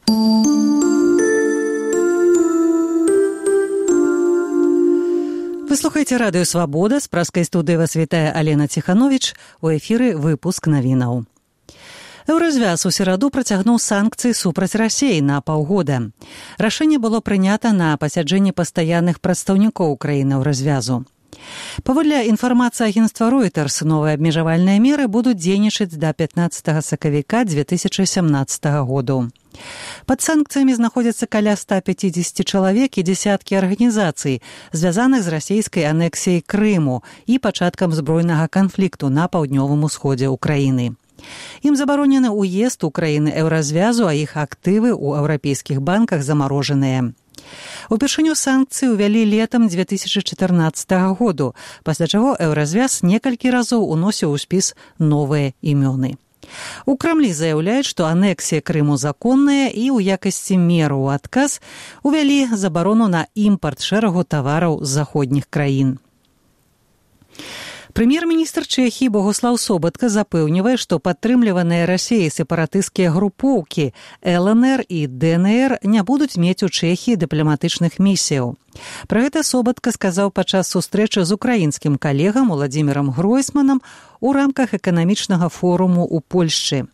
Вы слухаеце радыё «Свабода». З праскай студыі вас вітае Алена Ціхановіч. У эфіры выпуск навінаў. Еўразвяз у сераду працягнуў санкцыі супраць Расіі на паўгода. Рашэнне было прынята на пасяджэнні пастаянных прадстаўнікоў краіны Еўразвязу. Паводле інфармацыі агенцтва Reuters, новыя абмежавальныя меры будуць дзейнічаць да 15 сакавіка 2017 году. Пад санкцыямі знаходзяцца каля 150 чалавек і дзесяткі арганізацый, звязаных з расійскай анексіяй Крыму і пачаткам збройнага канфлікту на паўднёвым усходзе ўкраіны. Ім забаронены ўезд у краіны Еўразвязу, а іх актывы ў еўрапейскіх банках замарожаныя. Упершыню санкцыі ўвялі летам 2014 году, пасля чаго Еўразвяз некалькі разоў уносіў у спіс новыя імёны. У Крамлі заяўляюць, што анексія Крыму законная і ў якасці меры ў адказ увялі забарону на імпарт шэрагу тавараў з заходніх краін. Прэм'ер-міністр Чэхіі Богуслаў Собатка запэўнівае, што падтрымліваныя Расіяй сепаратысцкія групоўкі ЛНР і ДНР не будуць мець у Чэхіі дыпламатычных місіяў. Пра гэта Собатка сказаў падчас сустрэчы з украінскім калегам Уладзімірам Гройсманам у рамках эканамічнага форуму ў Польшчы.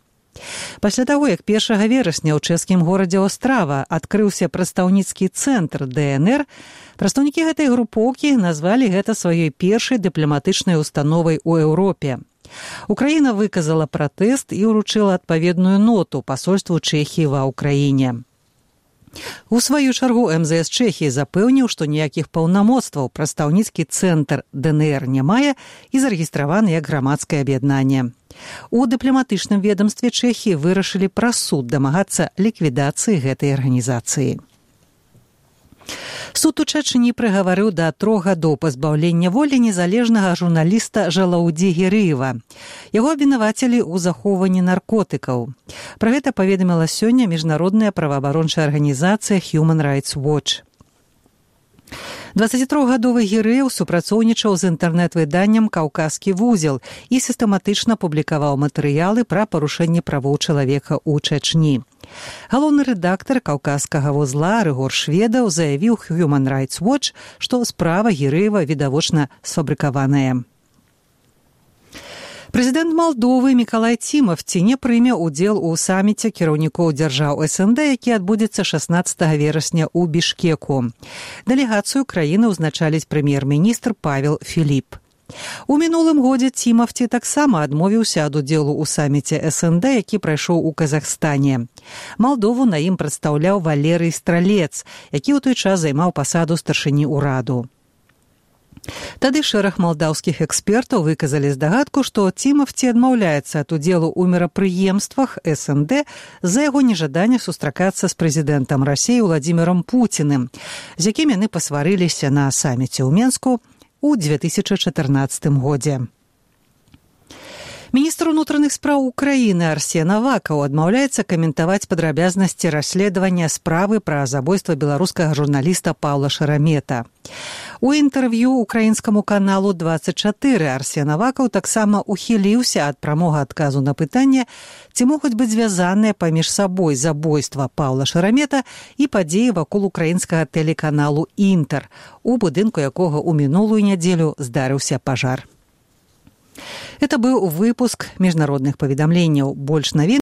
Пасля таго, як 1 верасня ў чэшскім горадзе Острава адкрыўся прадстаўніцкі цэнтр ДНР, прадстаўнікі гэтай групоўкі назвалі гэта сваёй першай дыпламатычнай установай у Еўропе. Украіна выказала пратэст і ўручыла адпаведную ноту пасольству Чэхіі ва ўкраіне. У сваю чаргу МЗС Чэхіі запэўніў, што ніякіх паўнамоцтваў прадстаўніцкі цэнтр ДНР не мае і зарэгістраваны як грамадскае аб'яднанне. У дыпламатычным ведамстве Чэхіі вырашылі праз суд дамагацца ліквідацыі гэтай арганізацыі. Суд у Чачні прыгаварыў да 3 гадоў пазбаўлення волі незалежнага журналіста Жалаўдзі Герыева. Яго абвінавацілі ў захоўванні наркотыкаў. Пра гэта паведаміла сёння міжнародная праваабарончая арганізацыя Human Rights Watch. 23-гадовы Герыев супрацоўнічаў з інтэрнэт-выданнем «Каўказскі вузел» і сістэматычна публікаваў матэрыялы пра парушэнне правоў чалавека ў Чачні. Галоўны рэдактар «Каўказскага вузла» Рыгор Шведаў заявіў Human Rights Watch, што справа Герыева відавочна сфабрыкаваная. Прэзідэнт Малдовы Мікалай Цімавці не прыме ўдзел у саміце кіраўнікоў дзяржаў СНД, які адбудзецца 16 верасня ў Бішкеку. Дэлегацыю краіны ўзначаліць прэм'ер-міністр Павел Філіп. У мінулым годзе Цімавці таксама адмовіўся ад удзелу ў саміце СНД, які прайшоў у Казахстане. Малдову на ім прадстаўляў Валерый Стралец, які ў той час займаў пасаду старшыні ўраду. Тады шэраг малдаўскіх экспертаў выказалі здагадку, што Цімавці адмаўляецца ад удзелу ў мерапрыемствах СНД з-за яго нежадання сустракацца з прэзідэнтам Расіі Уладзімірам Пуціним, з якім яны пасварыліся на саміце ў Менску ў 2014 годзе. Міністр унутраных спраў Украіны Арсен Авакаў адмаўляецца каментаваць падрабязнасці расследавання справы пра забойства беларускага журналіста Паўла Шарамета. У інтэрв'ю украінскаму каналу 24 Арсен Авакаў таксама ухіліўся ад прамога адказу на пытанне, ці могуць быць звязаныя паміж сабой забойства Паўла Шарамета і падзеі вакол украінскага тэлеканалу «Інтэр», у будынку якога ў мінулую нядзелю здарыўся пажар. Это быў выпуск міжнародных паведамленняў. Больш навін